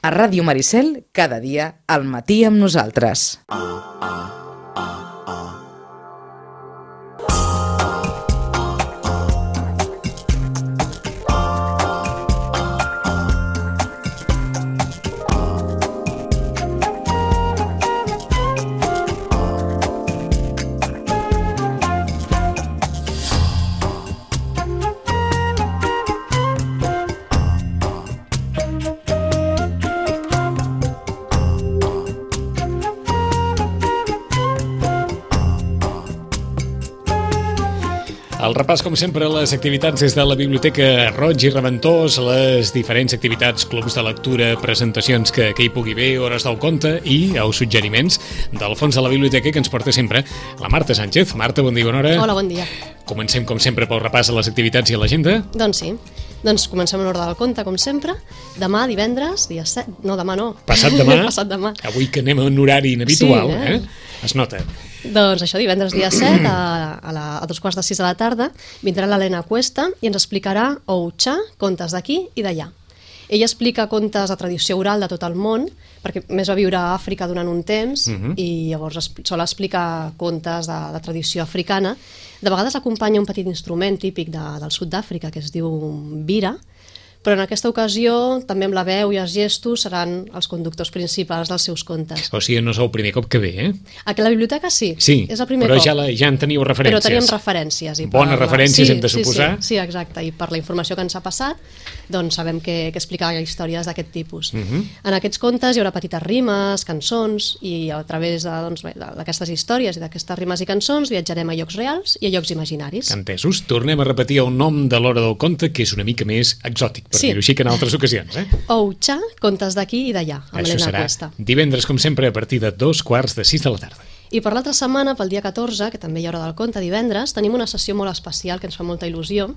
A Ràdio Maricel, cada dia, al matí amb nosaltres. El repàs, com sempre, a les activitats des de la Biblioteca Roig i Reventós, les diferents activitats, clubs de lectura, presentacions que hi pugui haver, hores del conte i els suggeriments del fons de la biblioteca que ens porta sempre la Marta Sánchez. Marta, bon dia, bona hora. Hola, bon dia. Comencem, com sempre, pel repàs a les activitats i a l'agenda. Doncs sí. Doncs comencem en ordre del conte, com sempre. Demà, divendres, dia 7... No, demà no. Passat demà. Passat demà. Avui que anem a un horari inhabitual, Sí, Es nota. Doncs això, divendres dia 7, a 2:45 de la tarda, vindrà l'Helena Cuesta i ens explicarà Oucha, contes d'aquí i d'allà. Ella explica contes de tradició oral de tot el món, perquè més va viure a Àfrica durant un temps i llavors sol explicar contes de tradició africana. De vegades acompanya un petit instrument típic del sud d'Àfrica que es diu bira, però en aquesta ocasió també amb la veu i els gestos seran els conductors principals dels seus contes. O sigui, no és el primer cop que ve, Aquí a la biblioteca sí, és el primer però cop. ja en teniu referències. Però teníem referències. Bones referències, hem de suposar. Sí, exacte, i per la informació que ens ha passat, doncs sabem que explicar històries d'aquest tipus. En aquests contes hi haurà petites rimes, cançons, i a través d'aquestes històries i d'aquestes rimes i cançons viatjarem a llocs reals i a llocs imaginaris. Entesos. Tornem a repetir el nom de l'hora del conte, que és una mica més exòtic, per dir-ho així, que en altres ocasions. Oucha, contes d'aquí i d'allà, amb l'Helena Cuesta. Divendres, com sempre, a partir de 2:45 de la tarda. I per l'altra setmana, pel dia 14, que també hi haurà del conte divendres, tenim una sessió molt especial que ens fa molta il·lusió.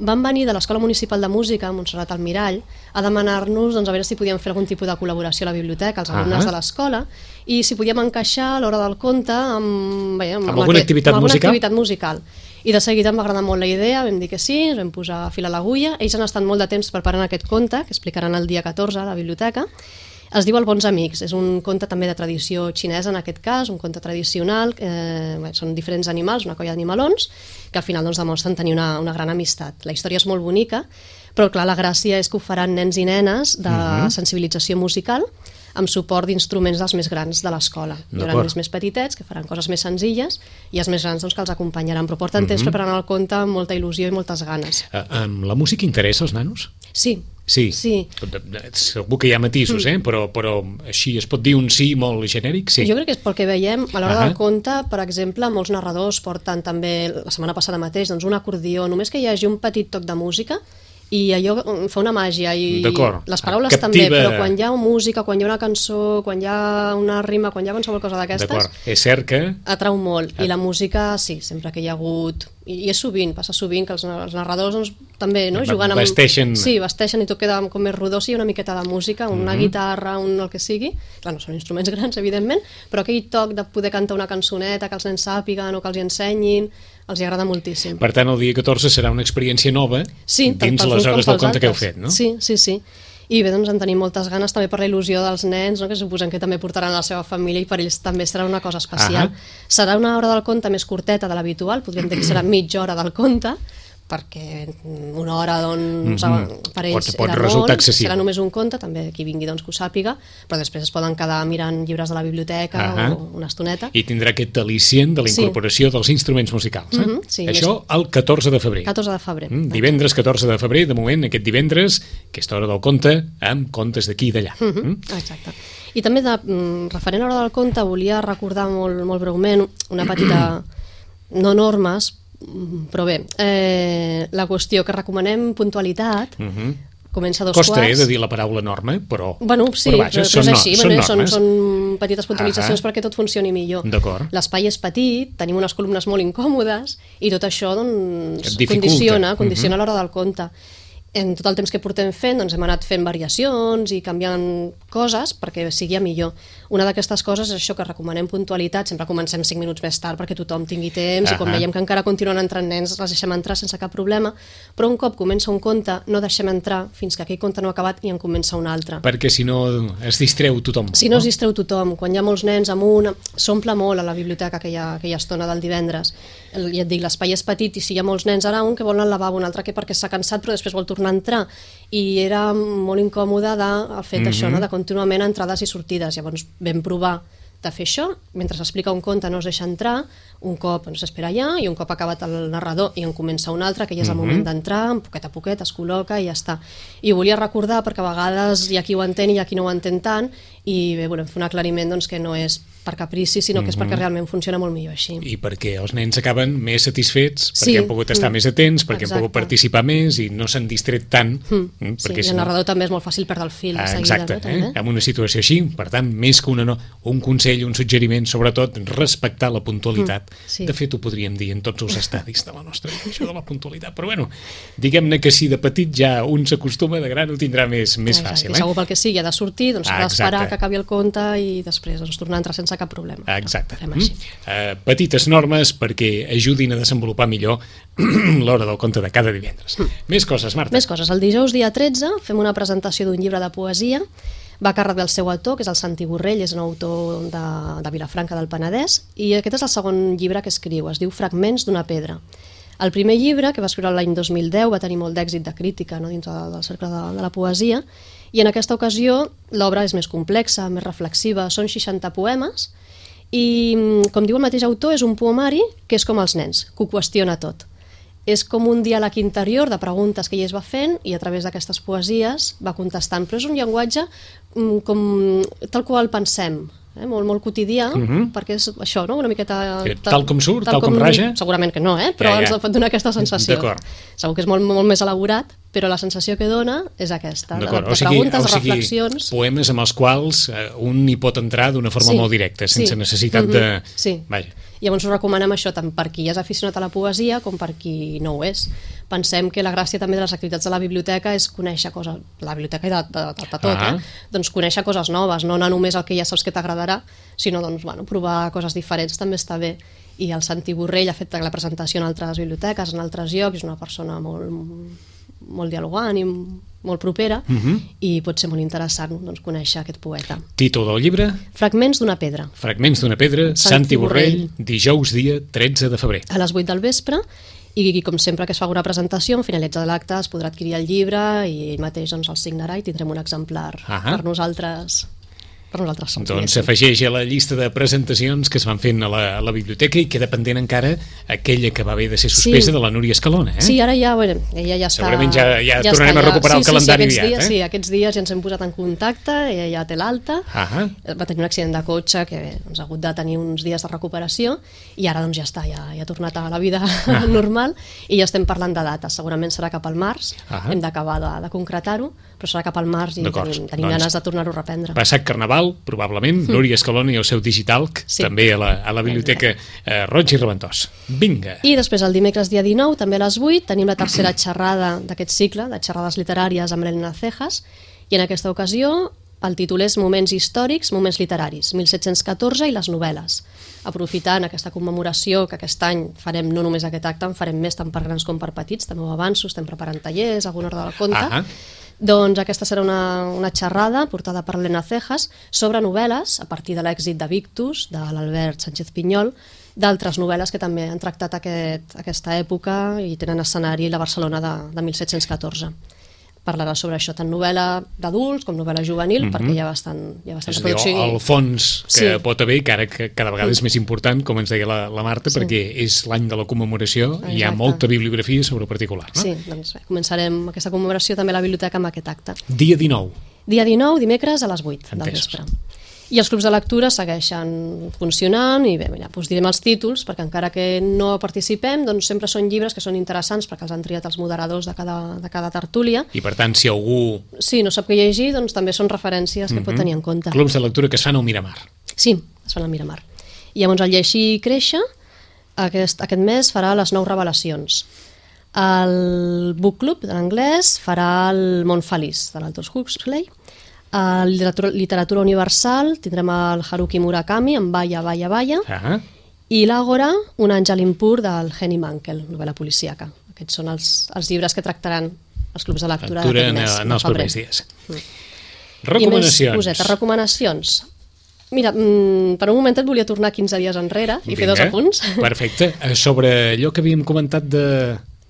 Van venir de l'Escola Municipal de Música, Montserrat Almirall, a demanar-nos a veure si podíem fer algun tipus de col·laboració a la biblioteca, als alumnes de l'escola, i si podíem encaixar a l'hora del conte amb alguna activitat musical. I de seguida em va agradar molt la idea, vam dir que sí, ens vam posar a fil a l'agulla. Ells han estat molt de temps preparant aquest conte, que explicaran el dia 14 a la biblioteca. Es diu El Bons Amics, és un conte també de tradició xinesa en aquest cas, un conte tradicional, són diferents animals, una colla d'animalons, que al final demostren tenir una gran amistat. La història és molt bonica, però clar, la gràcia és que ho faran nens i nenes de sensibilització musical, amb suport d'instruments dels més grans de l'escola. Hi haurà els més petitets, que faran coses més senzilles, i els més grans que els acompanyaran, però porten temps preparant el conte amb molta il·lusió i moltes ganes. La música interessa als nanos? Sí. Segur que hi ha matisos, però així es pot dir un sí molt genèric? Sí. Jo crec que és pel que veiem a l'hora del conte, per exemple, molts narradors porten també, la setmana passada mateix, un acordió, només que hi hagi un petit toc de música, i allò fa una màgia, i les paraules també, però quan hi ha música, quan hi ha una cançó, quan hi ha una rima, quan hi ha qualsevol cosa d'aquestes, és cert que atrau molt. I la música, sí, sempre que hi ha hagut, i és sovint, passa sovint que els narradors també juguen amb... Vesteixen. Sí, vesteixen i tot queda com més rodó, sí, una miqueta de música, una guitarra, el que sigui. Clar, no són instruments grans, evidentment, però aquell toc de poder cantar una cançoneta, que els nens sàpiguen o que els hi ensenyin, els hi agrada moltíssim. Per tant, el dia 14 serà una experiència nova dins les hores del conte que heu fet, no? Sí. I bé, en tenim moltes ganes també per la il·lusió dels nens, que suposem que també portaran la seva família i per ells també serà una cosa especial. Serà una hora del conte més curteta de l'habitual, podríem dir que serà mitja hora del conte, perquè una hora per ells pot era resultar molt, excessiu. serà només un conte, també qui vingui que ho sàpiga, però després es poden quedar mirant llibres de la biblioteca o una estoneta. I tindrà aquest al·licient de la incorporació dels instruments musicals. Això el 14 de febrer. 14 de febrer. Divendres 14 de febrer, de moment, aquest divendres, aquesta hora del conte, amb contes d'aquí i d'allà. Exacte. I també, referent a l'hora del conte, volia recordar molt breument una petita, no normes, però bé, la qüestió que recomanem puntualitat, comença a 2 quarts. Costa, de dir la paraula norma, però... Sí, però és així, són petites puntualitzacions perquè tot funcioni millor. L'espai és petit, tenim unes columnes molt incòmodes i tot això condiciona l'hora del conte. en tot el temps que portem fent, doncs hem anat fent variacions i canviant coses perquè sigui millor. Una d'aquestes coses és això, que recomanem puntualitat, sempre comencem 5 minuts més tard perquè tothom tingui temps i quan veiem que encara continuen entrant nens els deixem entrar sense cap problema, però un cop comença un conte no deixem entrar fins que aquell conte no ha acabat i en comença un altre. Perquè si no es distreu tothom. Si no es distreu tothom, quan hi ha molts nens amunt, s'omple molt a la biblioteca aquella estona del divendres. Ja et dic, l'espai és petit i si hi ha molts nens, ara un que vol anar al lavabo, un altre que perquè s'ha cansat però després vol tornar a entrar, i era molt incòmode el fet d'això, no? De contínuament entrades i sortides. Llavors vam provar de fer això, mentre s'explica un conte no es deixa entrar, un cop s'espera allà i un cop acabat el narrador i en comença un altre, que ja és el moment d'entrar, poquet a poquet es col·loca i ja està. I ho volia recordar perquè a vegades hi ha qui ho entén i hi ha qui no ho entén tant, i bé, volem fer un aclariment doncs, que no és per caprici, sinó que és perquè realment funciona molt millor així. I perquè els nens acaben més satisfets, perquè han pogut estar més atents, perquè han pogut participar més i no s'han distret tant. I el narrador també és molt fàcil perdre el fil. Exacte, en una situació així. Per tant, més que un consell, un suggeriment, sobretot respectar la puntualitat. De fet, ho podríem dir en tots els estadis de la nostra vida, això de la puntualitat. Però bueno, diguem-ne que si de petit ja un s'acostuma, de gran ho tindrà més fàcil. I segur pel que sigui, ha de sortir, doncs s'ha d'esperar que acabi el conte i després tornar a entrar sense cap problema. Exacte. Petites normes perquè ajudin a desenvolupar millor l'hora del conte de cada divendres. Més coses, Marta. Més coses. El dijous dia 13 fem una presentació d'un llibre de poesia, va a càrrec del seu autor, que és el Santi Borrell, és un autor de Vilafranca del Penedès, i aquest és el segon llibre que escriu, es diu Fragments d'una pedra. El primer llibre, que va escriure l'any 2010, va tenir molt d'èxit de crítica dins del cercle de la poesia, i en aquesta ocasió l'obra és més complexa, més reflexiva, són 60 poemes, i com diu el mateix autor, és un poemari que és com els nens, que ho qüestiona tot. És com un diàleg interior de preguntes que ell es va fent i a través d'aquestes poesies va contestant, però és un llenguatge tal qual pensem, molt, molt quotidià, perquè és això, no? Una miqueta... Tal com surt, tal com raja? Segurament que no, però ens pot donar aquesta sensació. Segur que és molt, molt més elaborat, però la sensació que dona és aquesta, de preguntes, de reflexions. Poemes amb els quals un hi pot entrar d'una forma molt directa, sense necessitat de... Vaja. Llavors ho recomanem això tant per qui és aficionat a la poesia com per qui no ho és. Pensem que la gràcia també de les activitats de la biblioteca és conèixer coses, la biblioteca i de tot, doncs conèixer coses noves, no anar només al que ja saps que t'agradarà, sinó doncs, provar coses diferents també està bé. I el Santi Borrell ha fet la presentació en altres biblioteques, en altres llocs, és una persona molt dialogant i molt propera, i pot ser molt interessant conèixer aquest poeta. Títol del llibre? Fragments d'una pedra. Fragments d'una pedra, Santi Borrell, dijous dia 13 de febrer. A les 8 del vespre, i com sempre que es fa una presentació, en finalitzar l'acte es podrà adquirir el llibre i ell mateix el signarà i tindrem un exemplar per nosaltres. Doncs s'afegeix a la llista de presentacions que es van fent a la biblioteca i queda pendent encara aquella que va haver de ser suspesa de la Núria Escalona. Sí, ara ja, ella ja està... Segurament ja tornarem a recuperar el calendari aviat. Sí, aquests dies ja ens hem posat en contacte, ella ja té l'alta, va tenir un accident de cotxe que ens ha hagut de tenir uns dies de recuperació i ara doncs ja està, ja ha tornat a la vida normal i ja estem parlant de dates, segurament serà cap al març, hem d'acabar de concretar-ho, però serà cap al març i tenim ganes de tornar-ho a reprendre. Passat Carnaval, probablement, Núria Escalona i el seu Digitalc, també a la biblioteca Roig i Reventós. Vinga! I després el dimecres dia 19, també a les 8, tenim la tercera xerrada d'aquest cicle, de xerrades literàries amb l'Elena Cejas, i en aquesta ocasió el títol és Moments històrics, moments literaris, 1714 i les novel·les. Aprofitant aquesta commemoració que aquest any farem no només aquest acte, en farem més tant per grans com per petits, també ho avanço, estem preparant tallers, alguna hora del conte. Doncs aquesta serà una xerrada portada per l'Elena Cejas sobre novel·les, a partir de l'èxit de Victus, de l'Albert Sánchez Pinyol, d'altres novel·les que també han tractat aquesta època i tenen escenari la Barcelona de 1714. Parlarà sobre això, tant novel·la d'adults com novel·la juvenil, perquè hi ha bastant reproducció. És a dir, el fons que pot haver, que ara cada vegada és més important, com ens deia la Marta, perquè és l'any de la commemoració i hi ha molta bibliografia sobre particular, no? Sí, doncs començarem aquesta commemoració també a la biblioteca amb aquest acte. Dia 19. Dia 19, dimecres a les 8 del vespre. I els clubs de lectura segueixen funcionant i bé, doncs direm els títols, perquè encara que no participem, doncs sempre són llibres que són interessants perquè els han triat els moderadors de cada tertúlia. I per tant, si algú... Sí, no sap què llegir, doncs també són referències que pot tenir en compte. Clubs de lectura que es fan al Miramar. Sí, es fan al Miramar. I llavors el Llegir i Créixer aquest mes farà les 9 revelacions. El Book Club, de l'anglès, farà el Món Feliç, de l'Aldous Huxley. A literatura universal tindrem el Haruki Murakami, amb Baya, Baya, Baya. I l'Àgora, un àngel impur, del Henny Mankell, novel·la policíaca. Aquests són els llibres que tractaran els clubs de lectura d'aquest mes. En els propers dies. Recomanacions. I més recomanacions. Mira, per un moment et volia tornar 15 dies enrere i fer 2 apunts. Perfecte. Sobre allò que havíem comentat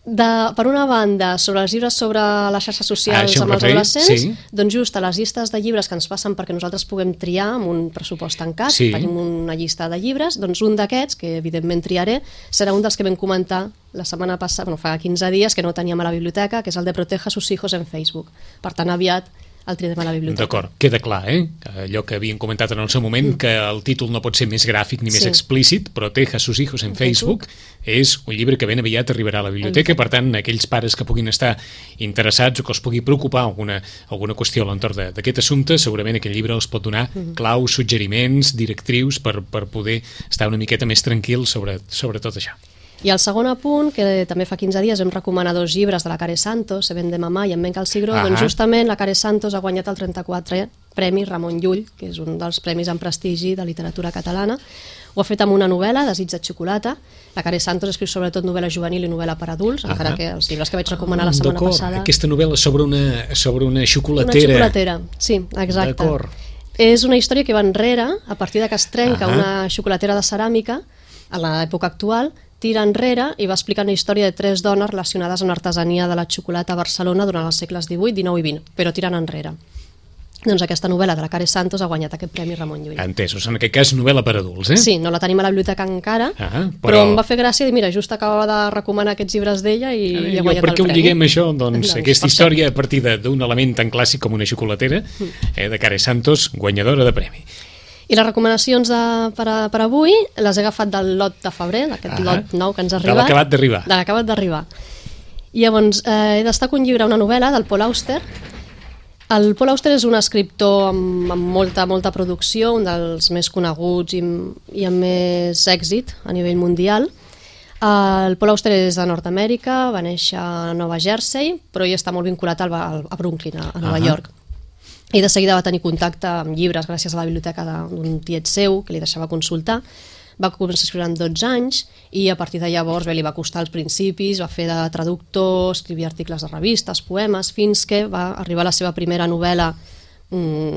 per una banda, sobre els llibres sobre les xarxes socials amb els adolescents, doncs just a les llistes de llibres que ens passen perquè nosaltres puguem triar amb un pressupost tancat, tenim una llista de llibres, doncs un d'aquests, que evidentment triaré, serà un dels que vam comentar la setmana passada, fa 15 dies, que no teníem a la biblioteca, que és el de Proteja a sus hijos en Facebook. Per tant, aviat el triarem a la biblioteca. D'acord, queda clar, allò que havíem comentat en el seu moment, que el títol no pot ser més gràfic ni més explícit. Proteja a sus hijos en Facebook és un llibre que ben aviat arribarà a la biblioteca, per tant, aquells pares que puguin estar interessats o que els pugui preocupar alguna qüestió a l'entorn d'aquest assumpte, segurament aquest llibre els pot donar claus, suggeriments, directrius per poder estar una miqueta més tranquils sobre tot això. I el segon apunt, que també fa 15 dies vam recomanar 2 llibres de la Care Santos, Se vende mamà i En Benca el Cigró, doncs justament la Care Santos ha guanyat el 34è Premi Ramon Llull, que és un dels premis en prestigi de literatura catalana. Ho ha fet amb una novel·la, Desig de xocolata. La Care Santos escriu sobretot novel·la juvenil i novel·la per adults, encara que els llibres que vaig recomanar la setmana passada... Aquesta novel·la sobre una xocolatera. Una xocolatera, sí, exacte. És una història que va enrere, a partir que es trenca una xocolatera de ceràmica, a l'època actual, tira enrere i va explicar una història de 3 dones relacionades amb l'artesania de la xocolata a Barcelona durant els segles XVIII, XIX i XX, però tirant enrere. Doncs aquesta novel·la de la Care Santos ha guanyat aquest Premi Ramon Llull. Entesos, en aquest cas novel·la per adults, Sí, no la tenim a la biblioteca encara, però em va fer gràcia dir, mira, just acabava de recomanar aquests llibres d'ella i ha guanyat el Premi. Per què ho lliguem això? Doncs aquesta història a partir d'un element tan clàssic com una xocolatera de Care Santos, guanyadora de premi. I les recomanacions per avui les he agafat del lot de febrer, d'aquest lot nou que ens ha arribat. De l'acabat d'arribar. De l'acabat d'arribar. I llavors, he destacat un llibre, una novel·la del Paul Auster. El Paul Auster és un escriptor amb molta producció, un dels més coneguts i amb més èxit a nivell mundial. El Paul Auster és de Nord-Amèrica, va néixer a Nova Jersey, però hi està molt vinculat a Brooklyn, a Nova York. I de seguida va tenir contacte amb llibres gràcies a la biblioteca d'un tiet seu que li deixava consultar. Va començar a escriure amb 12 anys i a partir de llavors li va costar als principis, va fer de traductor, escrivia articles de revistes, poemes, fins que va arribar a la seva primera novel·la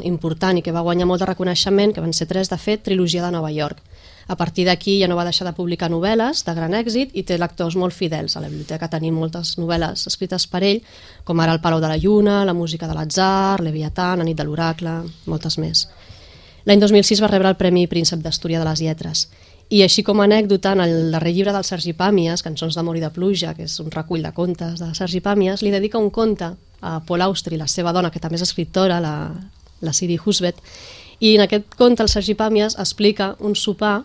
important i que va guanyar molt de reconeixement, que van ser 3 de fet, Trilogia de Nova York. A partir d'aquí ja no va deixar de publicar novel·les de gran èxit i té lectors molt fidels. A la biblioteca tenim moltes novel·les escrites per ell, com ara El Palau de la Lluna, La música de l'atzar, Leviatán, La nit de l'oracle, moltes més. L'any 2006 va rebre el Premi Príncep d'Astúria de les Lletres. I així com a anècdota, en el darrer llibre del Sergi Pàmies, Cançons d'amor i de pluja, que és un recull de contes de Sergi Pàmies, li dedica un conte a Paul Auster i la seva dona, que també és escriptora, la Siri Husbeth, i en aquest conte el Sergi Pàmies explica un sopar.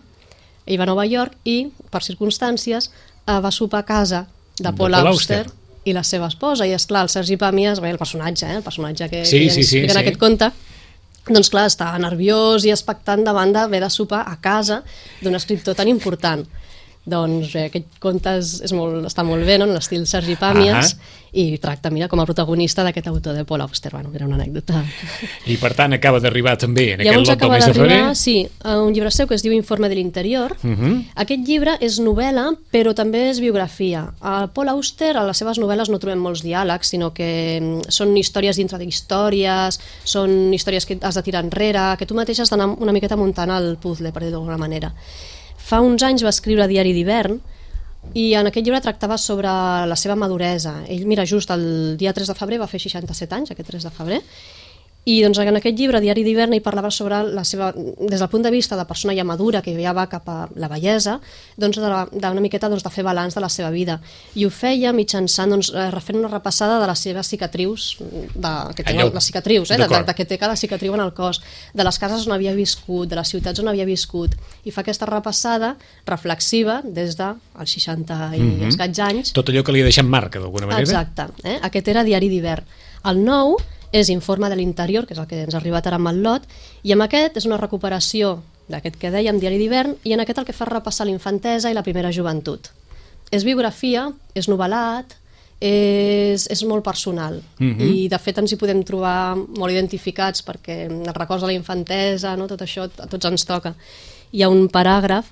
Ell va a Nova York i, per circumstàncies, va sopar a casa de Paul Auster i la seva esposa. I, esclar, el Sergi Pàmies, el personatge que ens explica en aquest conte, doncs clar, està nerviós i expectant davant d'haver de sopar a casa d'un escriptor tan important. Doncs aquest conte està molt bé, en l'estil Sergi Pàmies, i tracta, mira, com a protagonista d'aquest autor de Paul Auster. Bueno, era una anècdota. I per tant acaba d'arribar també en aquest lot del mes de febrer. Sí, un llibre seu que es diu Informe de l'interior. Aquest llibre és novel·la, però també és biografia. A Paul Auster, a les seves novel·les no trobem molts diàlegs, sinó que són històries dintre d'històries, són històries que has de tirar enrere, que tu mateix has d'anar una miqueta muntant el puzzle, per dir-ho d'alguna manera. Fa uns anys va escriure Diari d'hivern i en aquest llibre tractava sobre la seva maduresa. Ell, mira, just el dia 3 de febrer va fer 67 anys, aquest 3 de febrer, i doncs en aquest llibre, Diari d'hivern, ell parlava sobre la seva, des del punt de vista de persona ja madura, que ja va cap a la bellesa, doncs d'una miqueta de fer balanç de la seva vida. I ho feia mitjançant, refent una repassada de les seves cicatrius, que té les cicatrius, de que té cada cicatriu en el cos, de les cases on havia viscut, de les ciutats on havia viscut, i fa aquesta repassada reflexiva des dels 60 i escaig anys. Tot allò que li ha deixat marca, d'alguna manera. Exacte. Aquest era Diari d'hivern. El nou és Informe de l'interior, que és el que ens ha arribat ara amb el lot, i amb aquest és una recuperació d'aquest que dèiem, Diari d'hivern, i en aquest el que fa repassar l'infantesa i la primera joventut. És biografia, és novel·lat, és molt personal i de fet ens hi podem trobar molt identificats perquè els records de la infantesa, no? Tot això a tots ens toca. Hi ha un paràgraf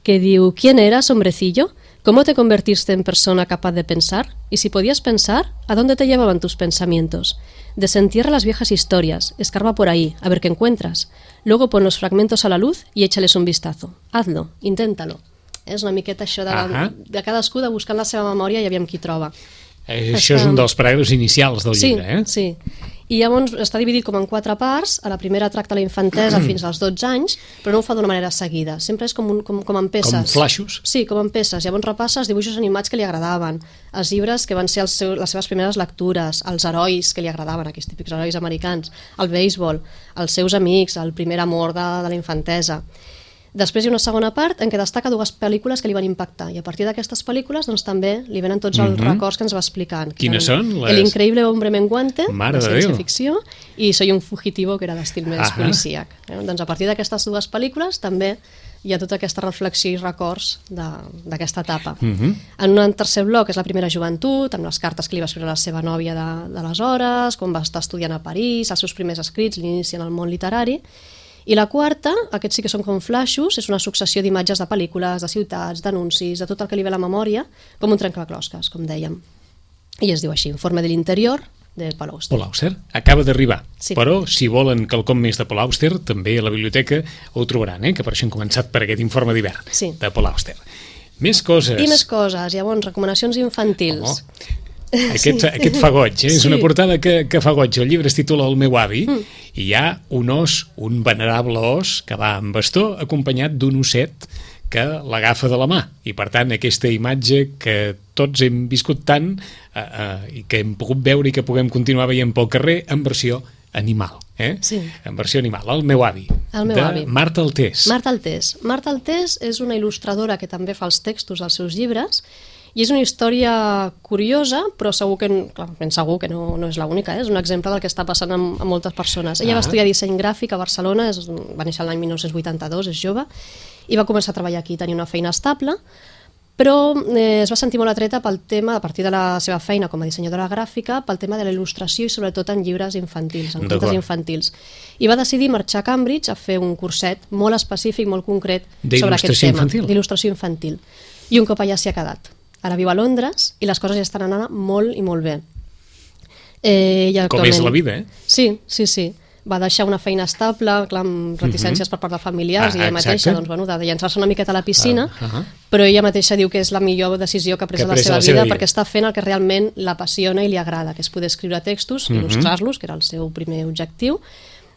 que diu: ¿Quién eras, hombrecillo? ¿Cómo te convertiste en persona capaz de pensar? Y si podías pensar, ¿a dónde te llevaban tus pensamientos? Desentierra las viejas historias, escarba por ahí, a ver qué encuentras. Luego pon los fragmentos a la luz y échales un vistazo. Hazlo, inténtalo. És una miqueta això de cadascú de buscar en la seva memòria i aviam qui troba. Això és un dels paràgrafs inicials del llibre, Sí. I llavors està dividit com en 4 parts. A la primera tracta la infantesa fins als 12 anys, però no ho fa d'una manera seguida. Sempre és com en peces. Com flaixos? Sí, com en peces. Llavors repassa els dibuixos animats que li agradaven, els llibres que van ser les seves primeres lectures, els herois que li agradaven, aquells típics herois americans, el béisbol, els seus amics, el primer amor de la infantesa. Després hi ha una segona part en què destaca 2 pel·lícules que li van impactar i a partir d'aquestes pel·lícules doncs, també li venen tots els records que ens va explicant. Quines són? El increïble hombre menguante, Mare de de ciència-ficció, i Soy un fugitivo, que era d'estil més policíac. Doncs a partir d'aquestes 2 pel·lícules també hi ha tota aquesta reflexió i records d'aquesta etapa. En un tercer bloc és la primera joventut, amb les cartes que li va escriure la seva nòvia d'aleshores, quan va estar estudiant a París, els seus primers escrits, l'inici en el món literari. I la quarta, aquests sí que són com flaixos, és una successió d'imatges de pel·lícules, de ciutats, d'anuncis, de tot el que li ve a la memòria, com un trencaclosques, com dèiem. I es diu així, Informe de l'interior, de Paul Auster. Paul Auster acaba d'arribar, sí. Però si volen quelcom més de Paul Auster, també a la biblioteca ho trobaran, que per això hem començat per aquest informe d'hivern de Paul Auster. Més coses. I més coses, llavors, recomanacions infantils. Aquest fa goig, és una portada que fa goig. El llibre es titula El meu avi i hi ha un os, un venerable os que va amb bastó acompanyat d'un osset que l'agafa de la mà i per tant aquesta imatge que tots hem viscut tant i que hem pogut veure i que puguem continuar veient pel carrer en versió animal, Sí. En versió animal, El meu avi, de Marta Altés. Marta Altés és una il·lustradora que també fa els textos dels seus llibres i és una història curiosa, però segur que no és l'única, és un exemple del que està passant amb moltes persones. Ella va estudiar disseny gràfic a Barcelona, va néixer l'any 1982, és jove, i va començar a treballar aquí, tenia una feina estable, però es va sentir molt atreta pel tema, a partir de la seva feina com a dissenyadora gràfica, pel tema de la il·lustració i sobretot en llibres infantils, en contes infantils. I va decidir marxar a Cambridge a fer un curset molt específic, molt concret sobre aquest tema, d'il·lustració infantil. I un cop allà s'hi ha quedat. Ara viu a Londres i les coses ja estan anant molt i molt bé. Com és la vida, Sí. Va deixar una feina estable, clar, amb reticències per part de familiars, i ella mateixa doncs, de llançar-se una miqueta a la piscina, però ella mateixa diu que és la millor decisió que ha pres a la seva vida perquè està fent el que realment l'apassiona i li agrada, que és poder escriure textos, il·lustrar-los, que era el seu primer objectiu,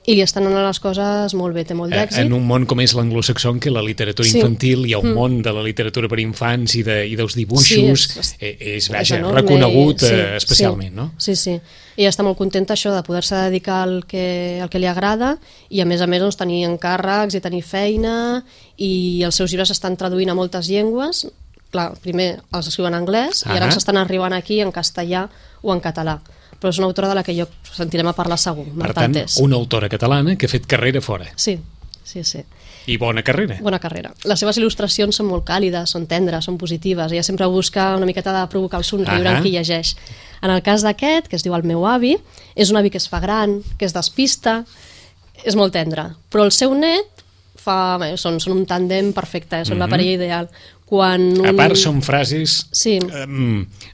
i li estan anant les coses molt bé, té molt d'èxit. En un món com és l'anglosaxó, en què la literatura infantil, hi ha un món de la literatura per infants i dels dibuixos, és reconegut especialment, no? Sí. I està molt contenta això de poder-se dedicar al que li agrada i a més doncs, tenir encàrrecs i tenir feina, i els seus llibres estan traduint a moltes llengües. Clar, primer els escriu en anglès i ara s'estan arribant aquí en castellà o en català. Però és una autora de la que sentirem a parlar segur. Per tant, una autora catalana que ha fet carrera fora. Sí. I bona carrera. Bona carrera. Les seves il·lustracions són molt càlides, són tendres, són positives. Ella sempre busca una miqueta de provocar el somriure en qui llegeix. En el cas d'aquest, que es diu El meu avi, és un avi que es fa gran, que es despista, és molt tendre. Però el seu net són un tàndem perfecte, són la parella ideal. A part, són frases... Sí.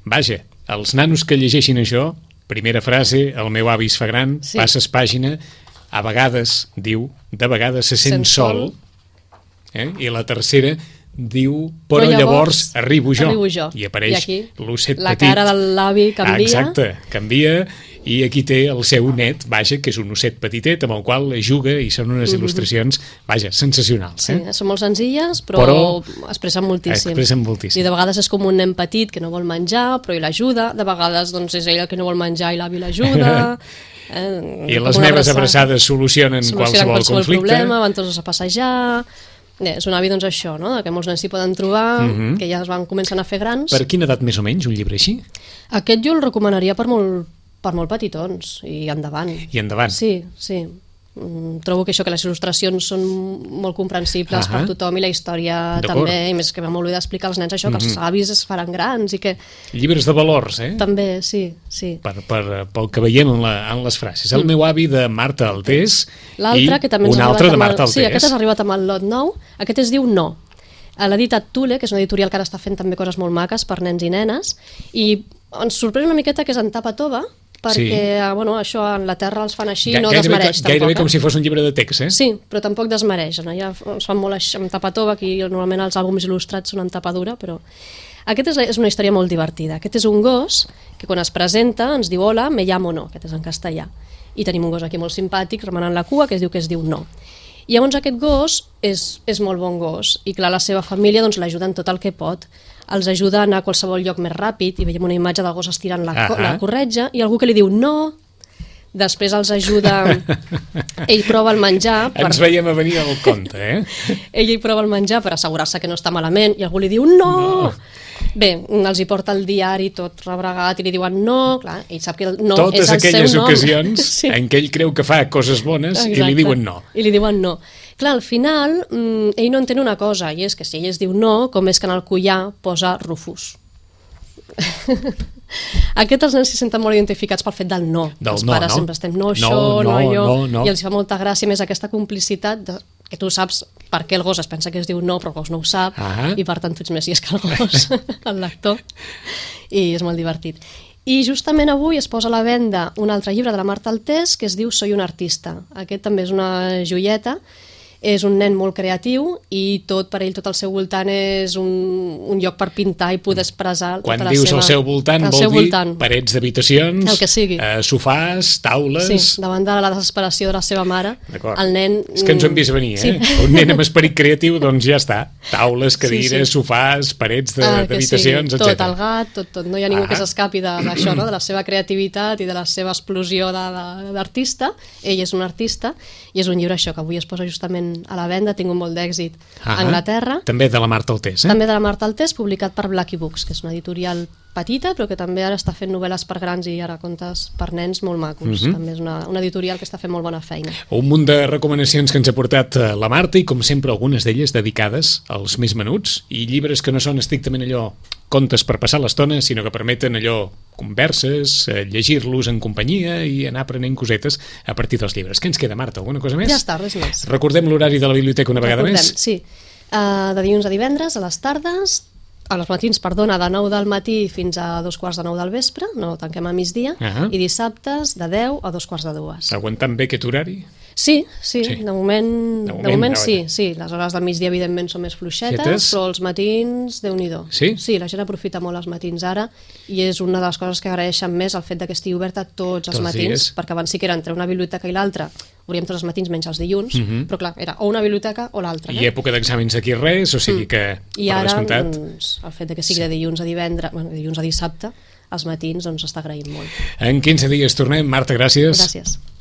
Vaja, els nanos que llegeixin això, primera frase, el meu avi es fa gran, passes pàgina, a vegades, diu, de vegades se sent sol, i la tercera diu, però llavors arribo jo. I apareix l'osset petit. La cara de l'avi canvia. Exacte, canvia, i aquí té el seu net, vaja, que és un osset petitet amb el qual juga, i són unes il·lustracions, vaja, sensacionals. Sí, són molt senzilles, però expressen moltíssim. I de vegades és com un nen petit que no vol menjar, però ell l'ajuda, de vegades doncs, és ell el que no vol menjar i l'avi l'ajuda. I les meves abraçades solucionen qualsevol conflicte. Problema, van tots a passejar. És un avi, doncs, això, no? Que molts nens s'hi poden trobar, que ja es van començant a fer grans. Per quina edat més o menys, un llibre així? Aquest jo el recomanaria per molt petitons, i endavant. I endavant. Sí. Trobo que això, que les il·lustracions són molt comprensibles per tothom i la història també, i més que va molt bé d'explicar als nens això, que els avis es faran grans i que... Llibres de valors, També, sí. Pel que veiem en les frases. El meu avi de Marta Altés i un altre de Marta Altés. Sí, aquest has arribat amb el lot nou. Aquest es diu No. L'ha editat Tule, que és una editorial que ara està fent també coses molt maques per nens i nenes, i ens sorprèn una miqueta que és en tapa tova, perquè això en la terra els fan així, no desmereix tampoc. Gairebé com si fos un llibre de text, Sí, però tampoc desmereix. Ja es fan molt amb tapa tova, aquí normalment els àlbums il·lustrats són en tapa dura, però... Aquest és una història molt divertida. Aquest és un gos que quan es presenta ens diu hola, me llamo No, aquest és en castellà. I tenim un gos aquí molt simpàtic remenant la cua que es diu No. I llavors aquest gos és molt bon gos i clar, la seva família l'ajuda en tot el que pot, els ajuda a anar a qualsevol lloc més ràpid i veiem una imatge del gos estirant la corretja i algú que li diu no, després els ajuda, ell prova el menjar ens veiem a venir al conte, ell prova el menjar per assegurar-se que no està malament i algú li diu no. Bé, els hi porta el diari tot rebregat i li diuen no, clar, ell sap que el no totes és el seu nom. Totes aquelles ocasions en què ell creu que fa coses bones i li diuen no. I li diuen no. Clar, al final, ell no entén una cosa, i és que si ell es diu no, com és que en el collar posa Rufus. Aquests els nens s'hi senten molt identificats pel fet del no. Els pares sempre estem no això, no allò, i els fa molta gràcia més aquesta complicitat que tu saps per què el gos es pensa que es diu no, però el gos no ho sap, i per tant tu ets més llest que el gos, el lector, i és molt divertit. I justament avui es posa a la venda un altre llibre de la Marta Altés que es diu Soy un artista. Aquest també és una joieta, és un nen molt creatiu i tot per ell, tot al seu voltant és un lloc per pintar i poder expressar tota la seva... Quan dius al seu voltant vol dir parets d'habitacions, sofàs, taules... Sí, davant de la desesperació de la seva mare, el nen... És que ens ho hem vist venir, Un nen amb esperit creatiu, doncs ja està. Taules, cadires, sofàs, parets d'habitacions, etc. Tot, el gat, tot. No hi ha ningú que s'escapi d'això, de la seva creativitat i de la seva explosió d'artista. Ell és un artista i és un llibre això que avui es posa justament a la venda, ha tingut molt d'èxit a Anglaterra. També de la Marta Altés, També de la Marta Altés, publicat per Blackie Books, que és una editorial petita, però que també ara està fent novel·les per grans i ara contes per nens molt macos. També és una editorial que està fent molt bona feina. Un munt de recomanacions que ens ha portat la Marta i, com sempre, algunes d'elles dedicades als més menuts i llibres que no són estrictament allò contes per passar l'estona, sinó que permeten allò converses, llegir-los en companyia i anar aprenent cosetes a partir dels llibres. Què ens queda, Marta? Alguna cosa més? Ja està, res més. Recordem l'horari de la biblioteca una vegada més? Sí, de dilluns a divendres, a les tardes, als matins, perdona, de 9 del matí fins a 2:15 del vespre, no tanquem a migdia, i dissabtes de 10 a 2:45. Aguantant bé aquest horari? Sí, de moment sí. Les hores del migdia evidentment són més fluixetes, però els matins, Déu-n'hi-do. Sí? Sí, la gent aprofita molt els matins ara i és una de les coses que agraeixen més el fet que estigui oberta tots els matins, perquè abans sí que era entre una biblioteca i l'altra, obríem tots els matins menys els dilluns, però clar, era o una biblioteca o l'altra. I època d'exàmens aquí res, o sigui que i ara, doncs, el fet que sigui de dilluns a divendres, dilluns a dissabte, els matins, doncs està agraïnt molt. En 15 dies tornem. Marta, gràcies. Gràcies.